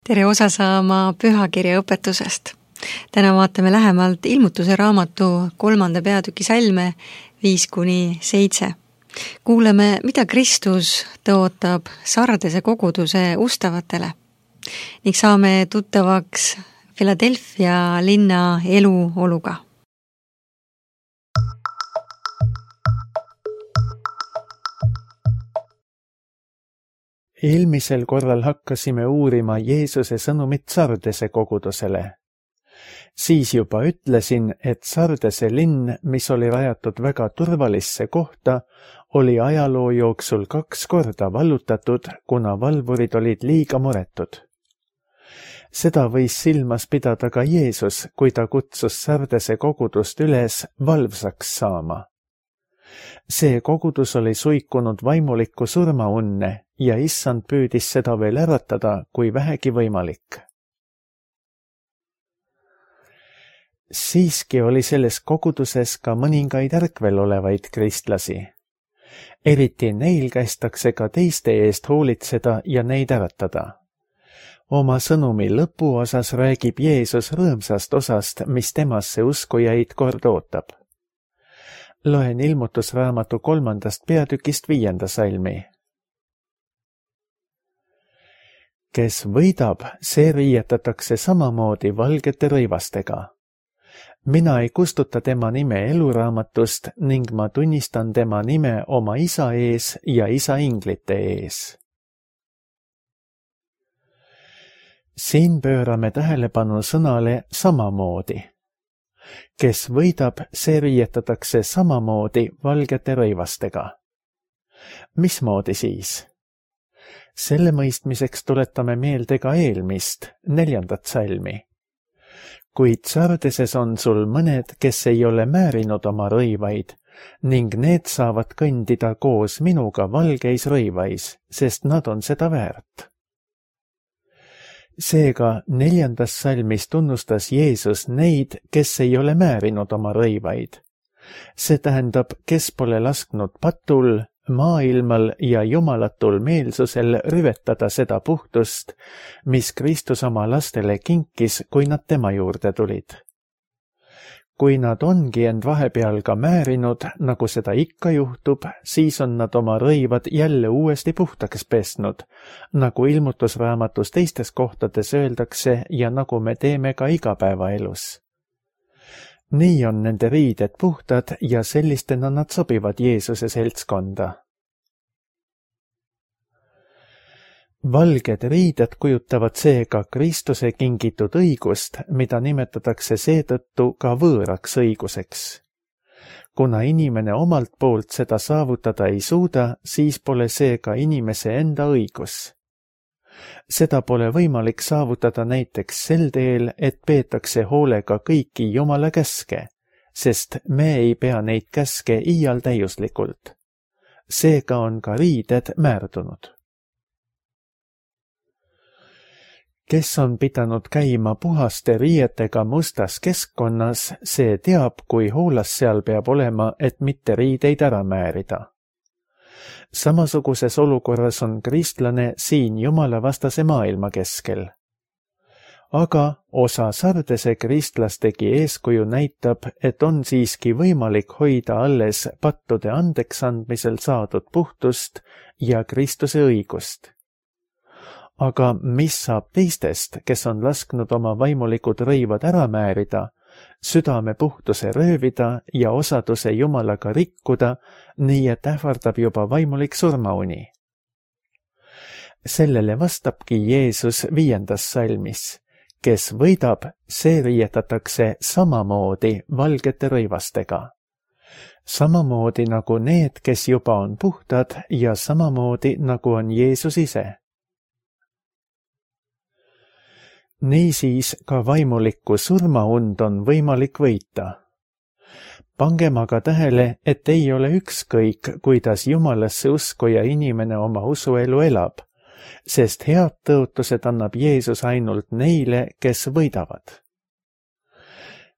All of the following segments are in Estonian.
Tere osa saama pühakirja õpetusest. Täna vaatame lähemalt Ilmutuse raamatu 3. peatüki salme 5-7. Kuuleme, mida Kristus tõotab Sardese koguduse ustavatele ning saame tuttavaks Philadelphia linna eluoluga. Eelmisel korral hakkasime uurima Jeesuse sõnumit Sardese kogudusele. Siis juba ütlesin, et Sardese linn, mis oli rajatud väga turvalisse kohta, oli ajaloo jooksul 2 korda vallutatud, kuna valvurid olid liiga muretud. Seda võis silmas pidada ka Jeesus, kui ta kutsus Sardese kogudust üles valvsaks saama. See kogudus oli suikunud vaimulikku surmaunne ja issand püüdis seda veel äratada, kui vähegi võimalik. Siiski oli selles koguduses ka mõningaid ärkvel olevaid kristlasi. Eriti neil kästakse ka teiste eest hoolitseda ja neid äratada. Oma sõnumi lõpuosas räägib Jeesus rõõmsast osast, mis temasse uskujaid kord ootab. Loen Ilmutusraamatu 3. peatükist 5. salmi. Kes võidab, see riietatakse samamoodi valgete rõivastega. Mina ei kustuta tema nime eluraamatust ning ma tunnistan tema nime oma isa ees ja isa inglite ees. Siin pöörame tähelepanu sõnale samamoodi. Kes võidab, see riietatakse samamoodi valgete rõivastega. Mismoodi siis? Selle mõistmiseks tuletame meelde ka eelmist, 4. salmi. Kuid Sardeses on sul mõned, kes ei ole määrinud oma rõivaid, ning need saavad kõndida koos minuga valgeis rõivais, sest nad on seda väärt. Seega 4. salmis tunnustas Jeesus neid, kes ei ole määrinud oma rõivaid. See tähendab, kes pole lasknud patul, maailmal ja jumalatul meelsusel rüvetada seda puhtust, mis Kristus oma lastele kinkis, kui nad tema juurde tulid. Kui nad ongi end vahepeal ka määrinud, nagu seda ikka juhtub, siis on nad oma rõivad jälle uuesti puhtaks pesnud, nagu Ilmutusraamatus teistes kohtades öeldakse ja nagu me teeme ka igapäevaelus. Nii on nende riided puhtad ja sellistena nad sobivad Jeesuse seltskonda. Valged riided kujutavad seega Kristuse kingitud õigust, mida nimetatakse seetõttu ka võõraks õiguseks. Kuna inimene omalt poolt seda saavutada ei suuda, siis pole see ka inimese enda õigus. Seda pole võimalik saavutada näiteks sel teel, et peetakse hoolega kõiki Jumala käske, sest me ei pea neid käske iial täiuslikult. Seega on ka riided määrdunud. Kes on pidanud käima puhaste riietega mustas keskkonnas, see teab, kui hoolas seal peab olema, et mitte riideid ära määrida. Samasuguses olukorras on kristlane siin jumalavastase maailma keskel. Aga osa Sardese kristlastegi eeskuju näitab, et on siiski võimalik hoida alles pattude andeksandmisel saadud puhtust ja Kristuse õigust. Aga mis saab teistest, kes on lasknud oma vaimulikud rõivad ära määrida, südame puhtuse röövida ja osaduse Jumalaga rikkuda, nii et ähvardab juba vaimulik surmauni? Sellele vastabki Jeesus 5. salmis. Kes võidab, see riietatakse samamoodi valgete rõivastega. Samamoodi nagu need, kes juba on puhtad ja samamoodi nagu on Jeesus ise. Niisiis ka vaimulikku surmaund on võimalik võita. Pangem aga tähele, et ei ole ükskõik, kuidas Jumalasse uskuja inimene oma usuelu elab, sest head tõotused annab Jeesus ainult neile, kes võidavad.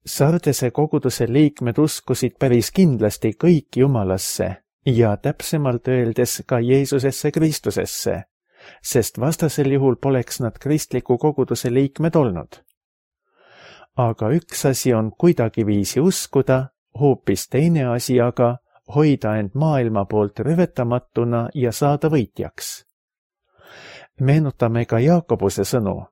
Sardese koguduse liikmed uskusid päris kindlasti kõik Jumalasse ja täpsemalt öeldes ka Jeesusesse Kristusesse, sest vastasel juhul poleks nad kristliku koguduse liikmed olnud. Aga üks asi on kuidagiviisi uskuda, hoopis teine asi aga hoida end maailma poolt rüvetamatuna ja saada võitjaks. Meenutame ka Jaakobuse sõnu.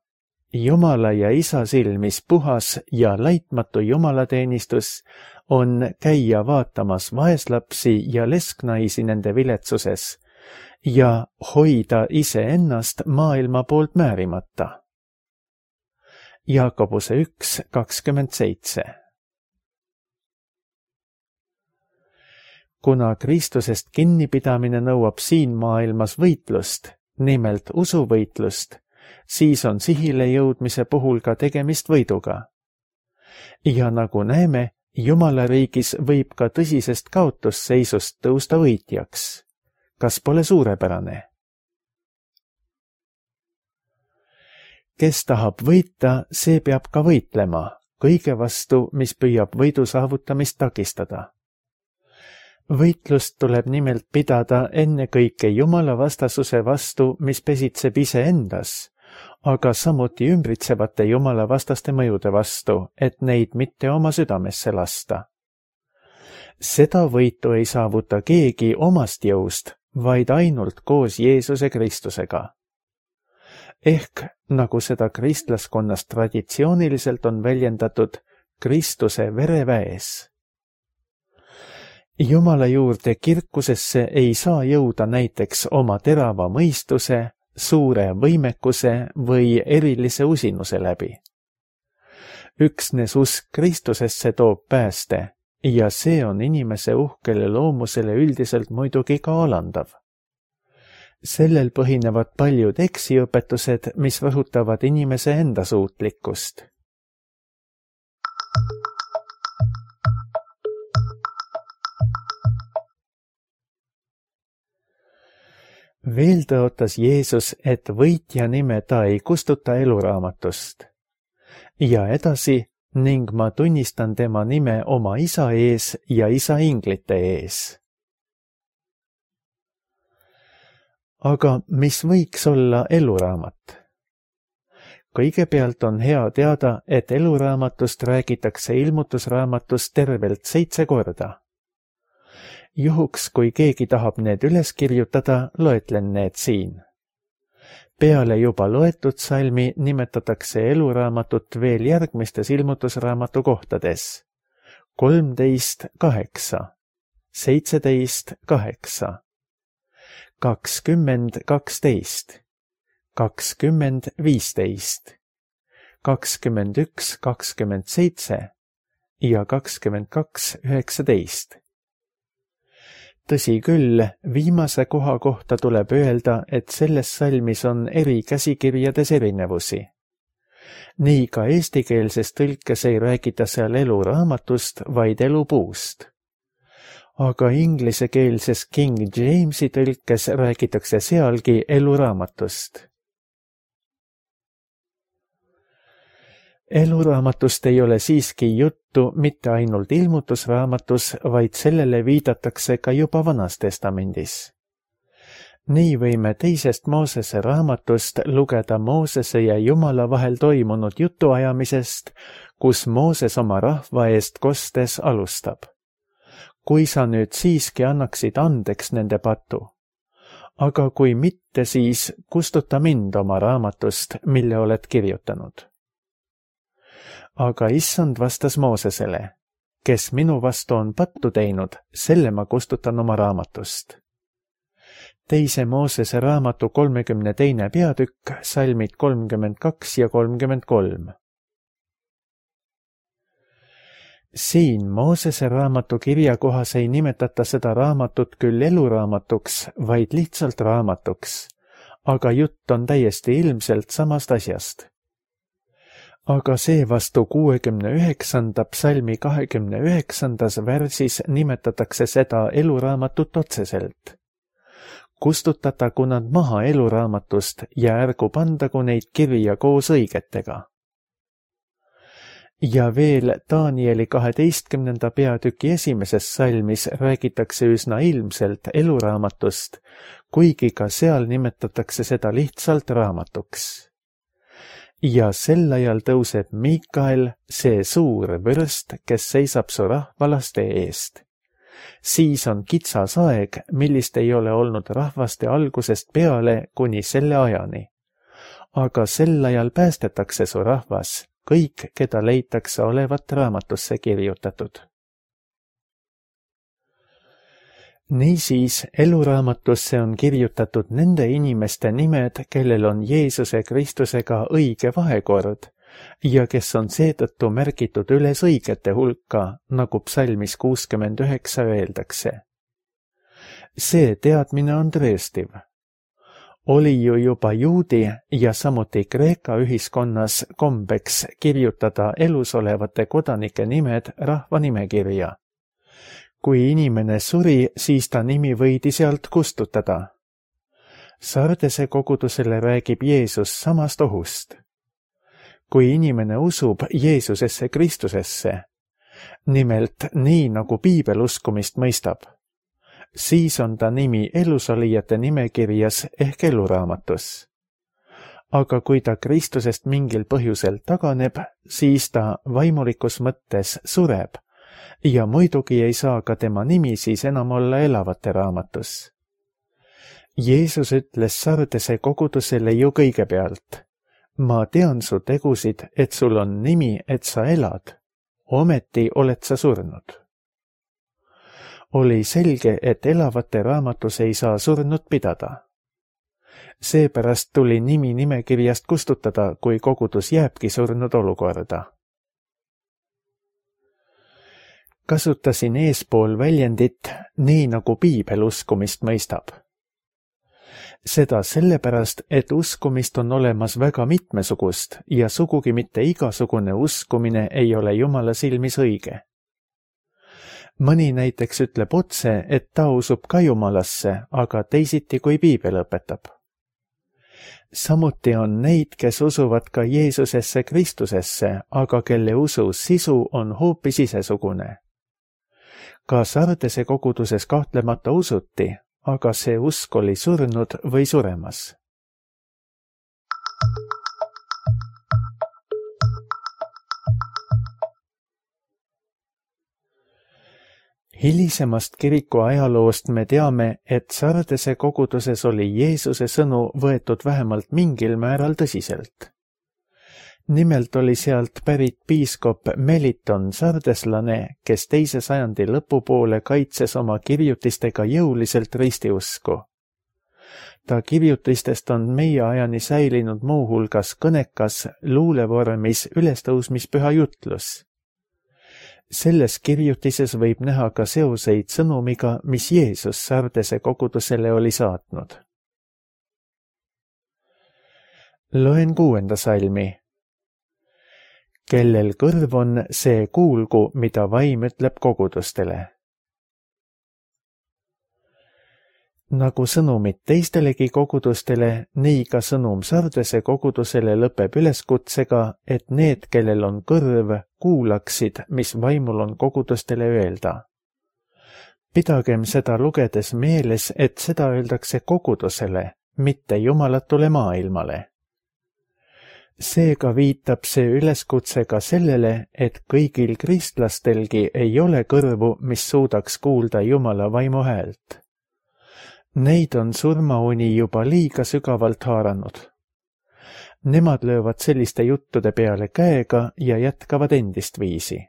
Jumala ja Isa silmis puhas ja laitmatu jumalateenistus on käia vaatamas vaeslapsi ja lesknaisi nende viletsuses ja hoida iseennast maailma poolt määrimata. Jaakobuse 1:27. Kuna Kristusest kinnipidamine nõuab siin maailmas võitlust, nimelt usuvõitlust, siis on sihile jõudmise puhul ka tegemist võiduga. Ja nagu näeme, Jumala riigis võib ka tõsisest kaotusseisust tõusta võitjaks. Kas pole suurepärane? Kes tahab võita, see peab ka võitlema, kõige vastu, mis püüab võidu saavutamist takistada. Võitlust tuleb nimelt pidada ennekõike Jumala vastasuse vastu, mis pesitseb iseendas, aga samuti ümbritsevate Jumala vastaste mõjude vastu, et neid mitte oma südamesse lasta. Seda võitu ei saavuta keegi omast jõust, vaid ainult koos Jeesuse Kristusega. Ehk, nagu seda kristlaskonnas traditsiooniliselt on väljendatud, Kristuse vereväes. Jumala juurde kirkusesse ei saa jõuda näiteks oma terava mõistuse, suure võimekuse või erilise usinuse läbi. Üksnes usk Kristusesse toob pääste ja see on inimese uhkele loomusele üldiselt muidugi ka alandav. Sellel põhinevad paljud eksiõpetused, mis rõhutavad inimese enda suutlikkust. Veel tõotas Jeesus, et võitja nime ta ei kustuta eluraamatust. Ja edasi, ning ma tunnistan tema nime oma Isa ees ja Isa inglite ees. Aga mis võiks olla eluraamat? Kõigepealt on hea teada, et eluraamatust räägitakse ilmutusraamatus tervelt 7 korda. Juhuks, kui keegi tahab need üles kirjutada, loetlen need siin. Peale juba loetud salmi nimetatakse eluraamatut veel järgmistes ilmutusraamatu kohtades. 13:8, 17:8, 20:12, 20:15, 21:27 ja 22:19. Tõsi küll, viimase koha kohta tuleb öelda, et selles salmis on eri käsikirjades erinevusi. Nii ka eestikeelses tõlkes ei räägita seal eluraamatust, vaid elupuust. Aga inglisekeelses King Jamesi tõlkes räägitakse sealgi eluraamatust. Eluraamatust ei ole siiski juttu mitte ainult ilmutusraamatus, vaid sellele viidatakse ka juba Vanas Testamendis. Nii võime 2. Moosese raamatust lugeda Moosese ja Jumala vahel toimunud jutuajamisest, kus Mooses oma rahva eest kostes alustab. Kui sa nüüd siiski annaksid andeks nende patu, aga kui mitte, siis kustuta mind oma raamatust, mille oled kirjutanud. Aga issand vastas Moosesele, kes minu vastu on pattu teinud, selle ma kustutan oma raamatust. 2. Moosese raamatu 32. peatükk, salmid 32 ja 33. Siin Moosese raamatu kirjakohas ei nimetata seda raamatut küll eluraamatuks, vaid lihtsalt raamatuks, aga jutt on täiesti ilmselt samast asjast. Aga seevastu 69. psalmi 29. värsis nimetatakse seda eluraamatut otseselt. Kustutatagu nad maha eluraamatust ja ärgu pandagu neid kirja koos õigetega. Ja veel Danieli 12. peatüki 1. salmis räägitakse üsna ilmselt eluraamatust, kuigi ka seal nimetatakse seda lihtsalt raamatuks. Ja sel ajal tõuseb Miikael, see suur vürst, kes seisab su rahvalaste eest. Siis on kitsas aeg, millist ei ole olnud rahvaste algusest peale kuni selle ajani. Aga sel ajal päästetakse su rahvas, kõik, keda leitakse olevat raamatusse kirjutatud. Niisiis, eluraamatusse on kirjutatud nende inimeste nimed, kellel on Jeesuse Kristusega õige vahekord ja kes on seetõttu märgitud üles õigete hulka, nagu psalmis 69 öeldakse. See teadmine on tõestiv. Oli ju juba juudi ja samuti Kreeka ühiskonnas kombeks kirjutada elus olevate kodanike nimed rahvanimekirja. Kui inimene suri, siis ta nimi võidi sealt kustutada. Sardese kogudusele räägib Jeesus samast ohust. Kui inimene usub Jeesusesse Kristusesse, nimelt nii nagu piibel uskumist mõistab, siis on ta nimi elusolijate nimekirjas ehk eluraamatus. Aga kui ta Kristusest mingil põhjusel taganeb, siis ta vaimulikus mõttes sureb ja muidugi ei saa ka tema nimi siis enam olla elavate raamatus. Jeesus ütles Sardese kogudusele ju kõigepealt: ma tean su tegusid, et sul on nimi, et sa elad, ometi oled sa surnud. Oli selge, et elavate raamatus ei saa surnut pidada. Seepärast tuli nimi nimekirjast kustutada, kui kogudus jääbki surnud olukorda. Kasutasin eespool väljendit nii nagu piibel uskumist mõistab. Seda sellepärast, et uskumist on olemas väga mitmesugust ja sugugi mitte igasugune uskumine ei ole Jumala silmis õige. Mõni näiteks ütleb otse, et ta usub ka Jumalasse, aga teisiti kui piibel õpetab. Samuti on neid, kes usuvad ka Jeesusesse Kristusesse, aga kelle usu sisu on hoopis isesugune. Ka Sardese koguduses kahtlemata usuti, aga see usk oli surnud või suremas. Hilisemast kiriku ajaloost me teame, et Sardese koguduses oli Jeesuse sõnu võetud vähemalt mingil määral tõsiselt. Nimelt oli sealt pärit piiskop Meliton sardeslane, kes 2. sajandi lõpupoole kaitses oma kirjutistega jõuliselt ristiusku. Ta kirjutistest on meie ajani säilinud muuhulgas kõnekas luulevormis ülestõusmispüha jutlus. Selles kirjutises võib näha ka seoseid sõnumiga, mis Jeesus Sardese kogudusele oli saatnud. Loen 6. salmi. Kellel kõrv on, see kuulgu, mida vaim ütleb kogudustele. Nagu sõnumid teistelegi kogudustele, nii ka sõnum Sardese kogudusele lõpeb üleskutsega, et need, kellel on kõrv, kuulaksid, mis vaimul on kogudustele öelda. Pidagem seda lugedes meeles, et seda öeldakse kogudusele, mitte jumalatule maailmale. Seega viitab see üleskutse ka sellele, et kõigil kristlastelgi ei ole kõrvu, mis suudaks kuulda Jumala vaimu häält. Neid on surmauni juba liiga sügavalt haaranud. Nemad löövad selliste juttude peale käega ja jätkavad endist viisi.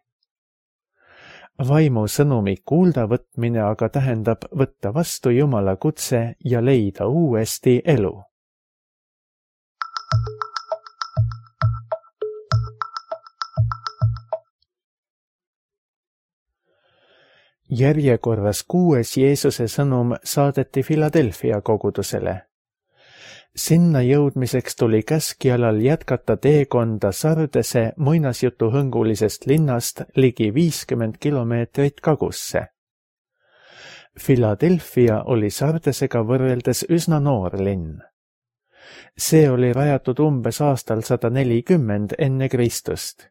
Vaimu sõnumi kuulda võtmine aga tähendab võtta vastu Jumala kutse ja leida uuesti elu. Järjekorras 6. Jeesuse sõnum saadeti Philadelphia kogudusele. Sinna jõudmiseks tuli käskjalal jätkata teekonda Sardese muinasjutuhõngulisest linnast ligi 50 kilomeetrit kagusse. Philadelphia oli Sardesega võrreldes üsna noor linn. See oli rajatud umbes aastal 140 enne Kristust.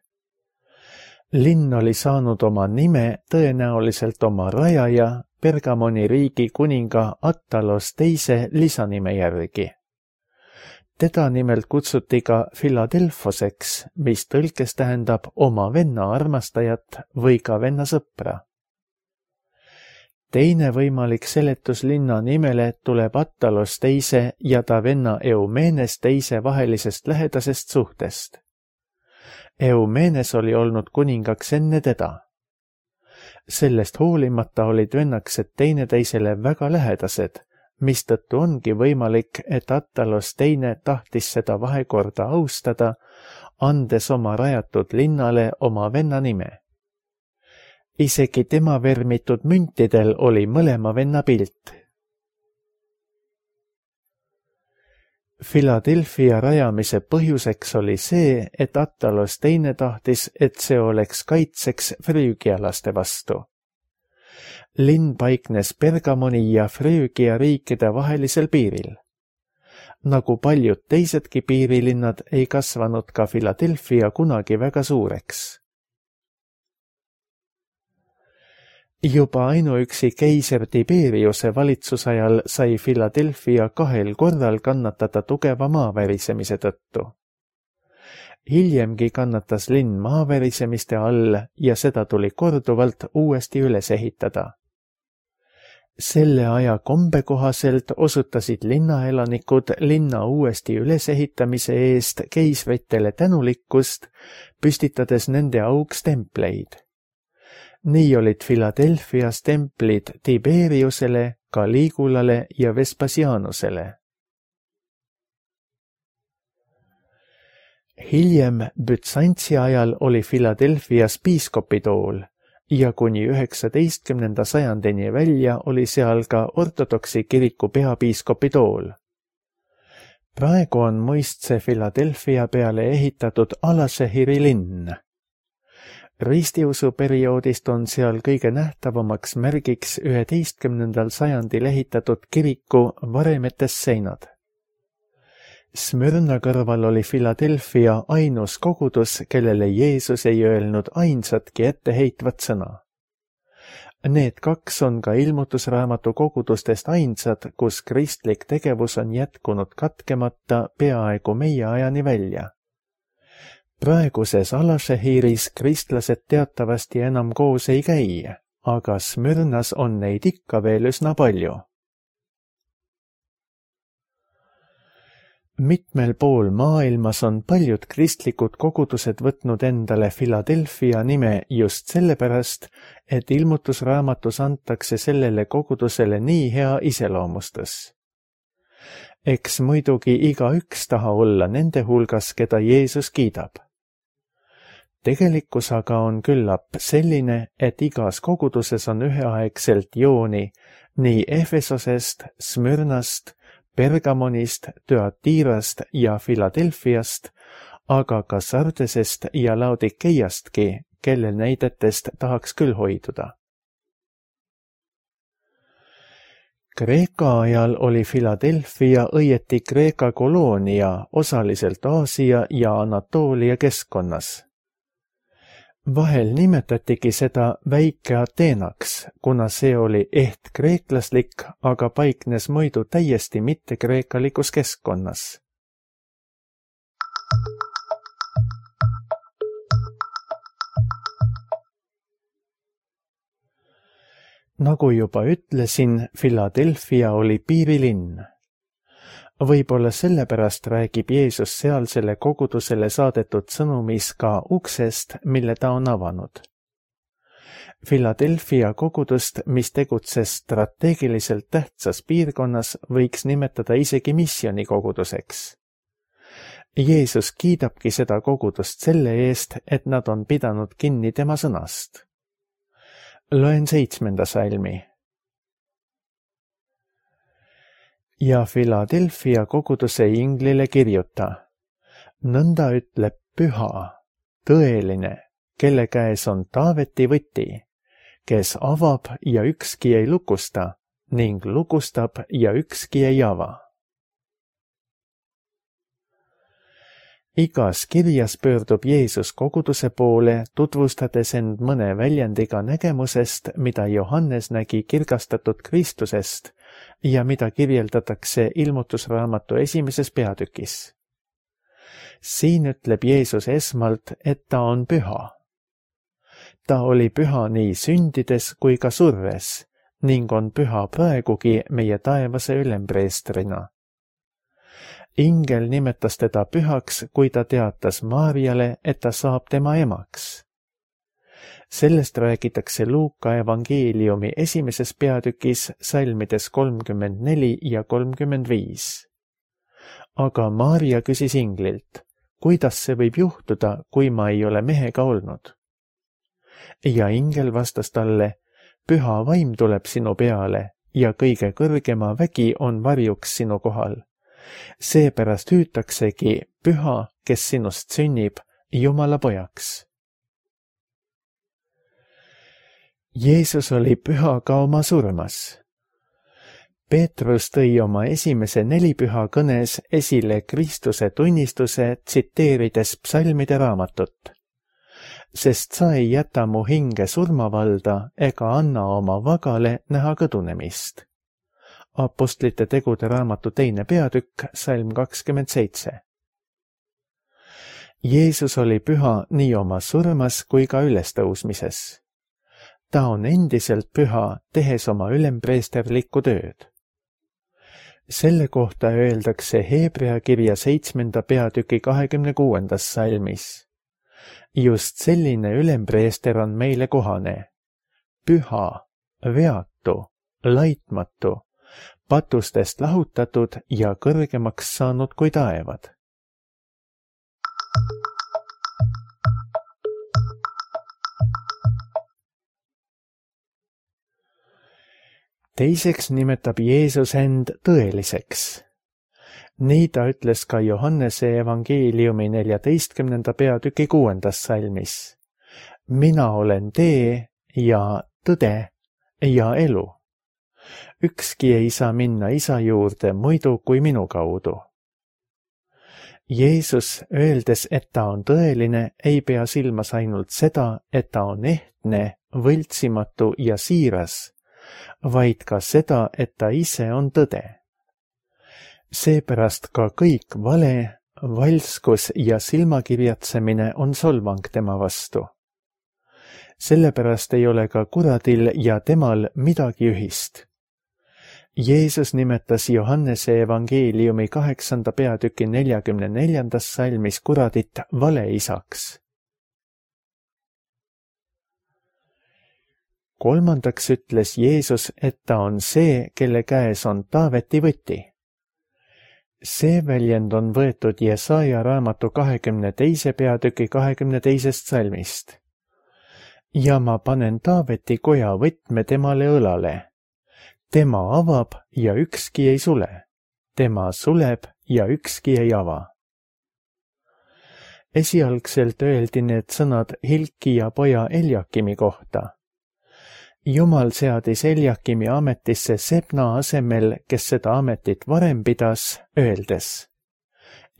linn oli saanud oma nime tõenäoliselt oma rajaja, Pergamoni riigi kuninga Attalos teise lisanime järgi. Teda nimelt kutsuti ka Philadelphoseks, mis tõlkes tähendab oma venna armastajat või ka venna sõpra. Teine võimalik seletus linna nimele tuleb Attalos teise ja ta venna Eumenes teise vahelisest lähedasest suhtest. Eumenes oli olnud kuningaks enne teda. Sellest hoolimata olid vennakesed teineteisele väga lähedased, mistõttu ongi võimalik, et Attalos teine tahtis seda vahekorda austada, andes oma rajatud linnale oma venna nime. Isegi tema vermitud müntidel oli mõlema venna pilt. Philadelphia rajamise põhjuseks oli see, et Attalos teine tahtis, et see oleks kaitseks früügialaste vastu. Linn paiknes Pergamoni ja Früügia riikide vahelisel piiril. Nagu paljud teisedki piirilinnad ei kasvanud ka Philadelphia kunagi väga suureks. Juba ainuüksi keiser Tiberiuse valitsusajal sai Philadelphia 2 korral kannatada tugeva maavärisemise tõttu. Hiljemgi kannatas linn maavärisemiste all ja seda tuli korduvalt uuesti üles ehitada. Selle aja kombe kohaselt osutasid linnaelanikud linna uuesti ülesehitamise eest keisritele tänulikkust, püstitades nende auks templeid. Nii olid Philadelphias templid Tiberiusele, Caligulale ja Vespasianusele. Hiljem Bütsantsi ajal oli Philadelphias piiskopitool ja kuni 19. sajandini välja oli seal ka ortodoksi kiriku peapiiskopitool. Praegu on muistse Philadelphia peale ehitatud Alashehiri linn. Ristiusu perioodist on seal kõige nähtavamaks märgiks 11. sajandil ehitatud kiriku varemetes seinad. Smyrna kõrval oli Philadelphia ainus kogudus, kellele Jeesus ei öelnud ainsatki etteheitvat sõna. Need 2 on ka ilmutusraamatu kogudustest ainsad, kus kristlik tegevus on jätkunud katkemata peaaegu meie ajani välja. Praeguses Alashehiris kristlased teatavasti enam koos ei käi, aga Smyrnas on neid ikka veel üsna palju. Mitmel pool maailmas on paljud kristlikud kogudused võtnud endale Philadelphia nime just sellepärast, et ilmutusraamatus antakse sellele kogudusele nii hea iseloomustus. Eks muidugi igaüks taha olla nende hulgas, keda Jeesus kiidab. Tegelikkus aga on küllap selline, et igas koguduses on üheaegselt jooni nii Efesosest, Smyrnast, Pergamonist, Thyatirast ja Philadelphiast, aga ka Sardesest ja Laodikeiastki, kelle näidetest tahaks küll hoiduda. Kreeka ajal oli Philadelphia õieti Kreeka koloonia osaliselt Aasia ja Anatoolia keskkonnas. Vahel nimetatigi seda väike Ateenaks, kuna see oli kreeklaslik, aga paiknes muidu täiesti mitte kreekalikus keskkonnas. Nagu juba ütlesin, Philadelphia oli piirilinn. Võib-olla sellepärast räägib Jeesus sealsele kogudusele saadetud sõnumis ka uksest, mille ta on avanud. Philadelphia kogudust, mis tegutses strateegiliselt tähtsas piirkonnas, võiks nimetada isegi missionikoguduseks. Jeesus kiidabki seda kogudust selle eest, et nad on pidanud kinni tema sõnast. Loen 7. salmi. Ja Philadelphia koguduse inglile kirjuta. Nõnda ütleb püha, tõeline, kelle käes on Taaveti võti, kes avab ja ükski ei lukusta ning lukustab ja ükski ei ava. Igas kirjas pöördub Jeesus koguduse poole, tutvustades end mõne väljendiga nägemusest, mida Johannes nägi kirgastatud Kristusest ja mida kirjeldatakse ilmutusraamatu 1. peatükis. Siin ütleb Jeesus esmalt, et ta on püha. Ta oli püha nii sündides kui ka surres ning on püha praegugi meie taevase ülempreestrina. Ingel nimetas teda pühaks, kui ta teatas Maarjale, et ta saab tema emaks. Sellest räägitakse Luuka evangeeliumi 1. peatükis salmides 34 ja 35. Aga Maarja küsis inglilt, kuidas see võib juhtuda, kui ma ei ole mehega olnud? Ja ingel vastas talle, püha vaim tuleb sinu peale ja kõige kõrgema vägi on varjuks sinu kohal. Seepärast hüütaksegi püha, kes sinust sünnib, Jumala pojaks. Jeesus oli püha ka oma surmas. Peetrus tõi oma esimese 4 püha kõnes esile Kristuse tunnistuse, tsiteerides psalmide raamatut. Sest sa ei jäta mu hinge surmavalda ega anna oma vagale näha kõdunemist. Apostlite tegude raamatu 2. peatükk, salm 27. Jeesus oli püha nii oma surmas kui ka ülestõusmises. Ta on endiselt püha, tehes oma ülempreesterlikku tööd. Selle kohta öeldakse Hebrea kirja 7. peatüki 26. salmis. Just selline ülempreester on meile kohane. Püha, veatu, laitmatu, patustest lahutatud ja kõrgemaks saanud kui taevad. Teiseks nimetab Jeesus end tõeliseks. Nii ta ütles ka Johannese evangeeliumi 14. peatüki 6. salmis. Mina olen tee ja tõde ja elu. Ükski ei saa minna isa juurde muidu kui minu kaudu. Jeesus, öeldes, et ta on tõeline, ei pea silmas ainult seda, et ta on ehtne, võltsimatu ja siiras, vaid ka seda, et ta ise on tõde. Seepärast ka kõik vale, valskus ja silmakirjatsemine on solvang tema vastu. Sellepärast ei ole ka kuradil ja temal midagi ühist. Jeesus nimetas Johannese evangeeliumi 8. peatüki 44. salmis kuradit valeisaks. Kolmandaks ütles Jeesus, et ta on see, kelle käes on Taaveti võti. See väljend on võetud Jesaja raamatu 22. peatüki 22. salmist. Ja ma panen Taaveti koja võtme temale õlale. Tema avab ja ükski ei sule. Tema suleb ja ükski ei ava. Esialgselt öeldi need sõnad Hilkija poja Eljakimi kohta. Jumal seadis Eljakimi ametisse Sebna asemel, kes seda ametit varem pidas, öeldes.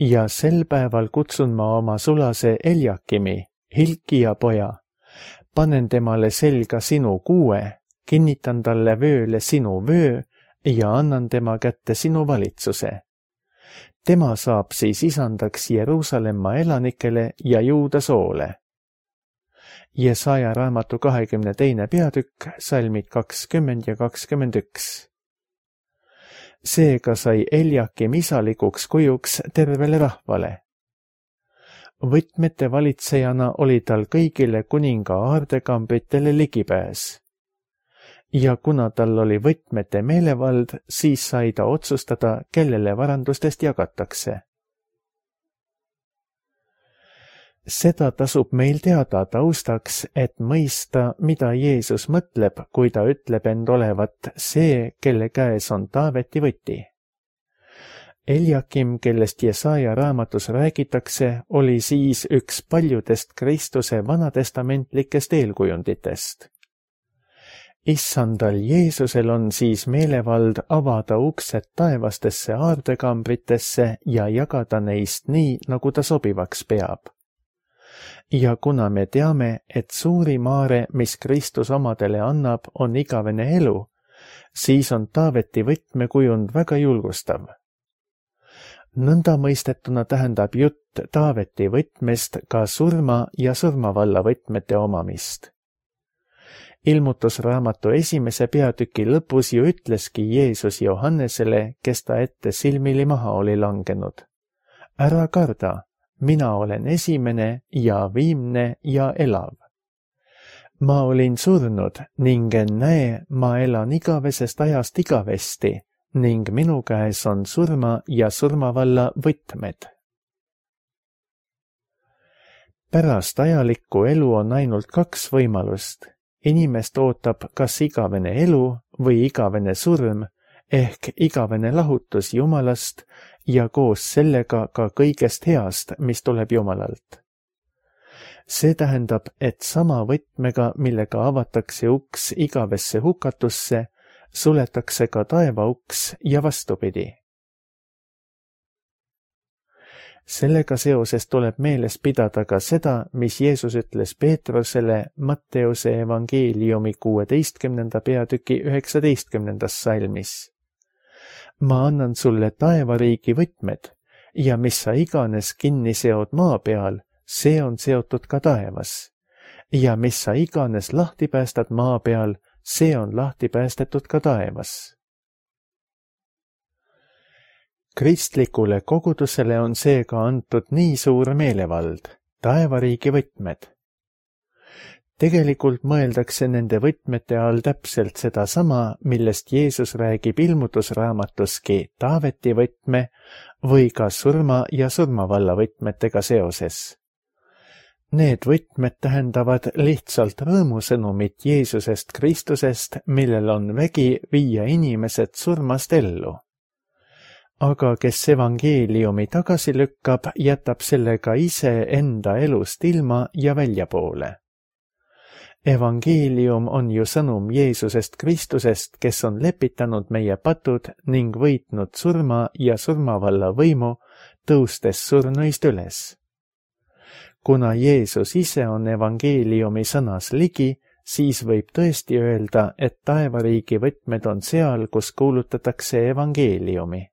Ja sel päeval kutsun ma oma sulase Eljakimi, Hilkija poja, panen temale selga sinu kuue, kinnitan talle vööle sinu vöö ja annan tema kätte sinu valitsuse. Tema saab siis isandaks Jeruusalemma elanikele ja Juuda soole. Jesaja raamatu 22. peatükk, salmid 20 ja 21. Seega sai Eljakim isalikuks kujuks tervele rahvale. Võtmete valitsejana oli tal kõigile kuninga aardekambritele ligipääs. Ja kuna tal oli võtmete meelevald, siis sai ta otsustada, kellele varandustest jagatakse. Seda tasub meil teada taustaks, et mõista, mida Jeesus mõtleb, kui ta ütleb end olevat see, kelle käes on Taaveti võti. Eljakim, kellest Jesaja raamatus räägitakse, oli siis üks paljudest Kristuse vanatestamentlikest eelkujunditest. Issandal Jeesusel on siis meelevald avada uksed taevastesse aardekambritesse ja jagada neist nii, nagu ta sobivaks peab. Ja kuna me teame, et suurim aare, mis Kristus omadele annab, on igavene elu, siis on Taaveti võtmekujund väga julgustav. Nõnda mõistetuna tähendab jutt Taaveti võtmest ka surma ja surmavalla võtmete omamist. Ilmutusraamatu 1. peatüki lõpus ju ütleski Jeesus Johannesele, kes ta ette silmili maha oli langenud. Ära karda, mina olen esimene ja viimne ja elav. Ma olin surnud ning näe, ma elan igavesest ajast igavesti ning minu käes on surma ja surmavalla võtmed. Pärast ajalikku elu on ainult 2 võimalust. Inimest ootab kas igavene elu või igavene surm ehk igavene lahutus Jumalast ja koos sellega ka kõigest heast, mis tuleb Jumalalt. See tähendab, et sama võtmega, millega avatakse uks igavesse hukatusse, suletakse ka taeva uks ja vastupidi. Sellega seoses tuleb meeles pidada ka seda, mis Jeesus ütles Peetrusele Matteuse evangeeliumi 16. peatüki 19. salmis. Ma annan sulle taevariigi võtmed ja mis sa iganes kinni seod maa peal, see on seotud ka taevas. Ja mis sa iganes lahti päästad maa peal, see on lahti päästetud ka taevas. Kristlikule kogudusele on seega antud nii suur meelevald, taevariigi võtmed. Tegelikult mõeldakse nende võtmete all täpselt sedasama, millest Jeesus räägib ilmutusraamatuski Taaveti võtme või ka surma ja surmavalla võtmetega seoses. Need võtmed tähendavad lihtsalt rõõmusõnumit Jeesusest Kristusest, millel on vägi viia inimesed surmast ellu. Aga kes evangeeliumi tagasi lükkab, jätab sellega ise enda elust ilma ja väljapoole. Evangeelium on ju sõnum Jeesusest Kristusest, kes on lepitanud meie patud ning võitnud surma ja surmavalla võimu, tõustes surnuist üles. Kuna Jeesus ise on evangeeliumi sõnas ligi, siis võib tõesti öelda, et taevariigi võtmed on seal, kus kuulutatakse evangeeliumi.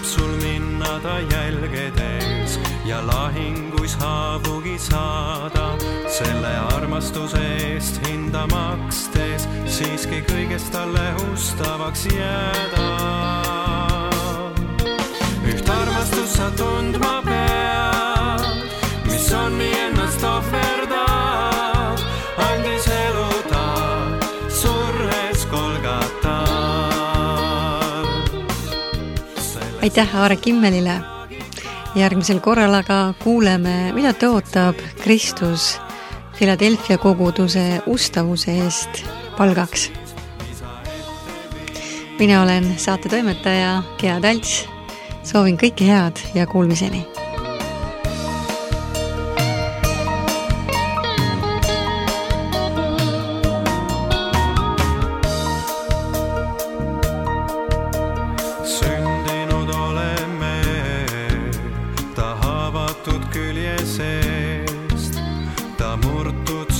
Sul minna ta jälgedes ja lahinguis haavugi saada, selle armastuse eest hinda makstes siiski kõigest talle ustavaks jääda. Üht armastust sa tundma pead, mis on nii ennast ohverdab, andis elu ta surres Golgata. Aitäh Aare Kimmelile. Järgmisel korral aga kuuleme, mida tõotab Kristus Philadelphia koguduse ustavuse eest palgaks. Mina olen saate toimetaja Gea Talts. Soovin kõike head ja kuulmiseni.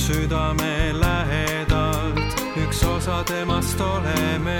Südame lähedalt, üks osa temast oleme.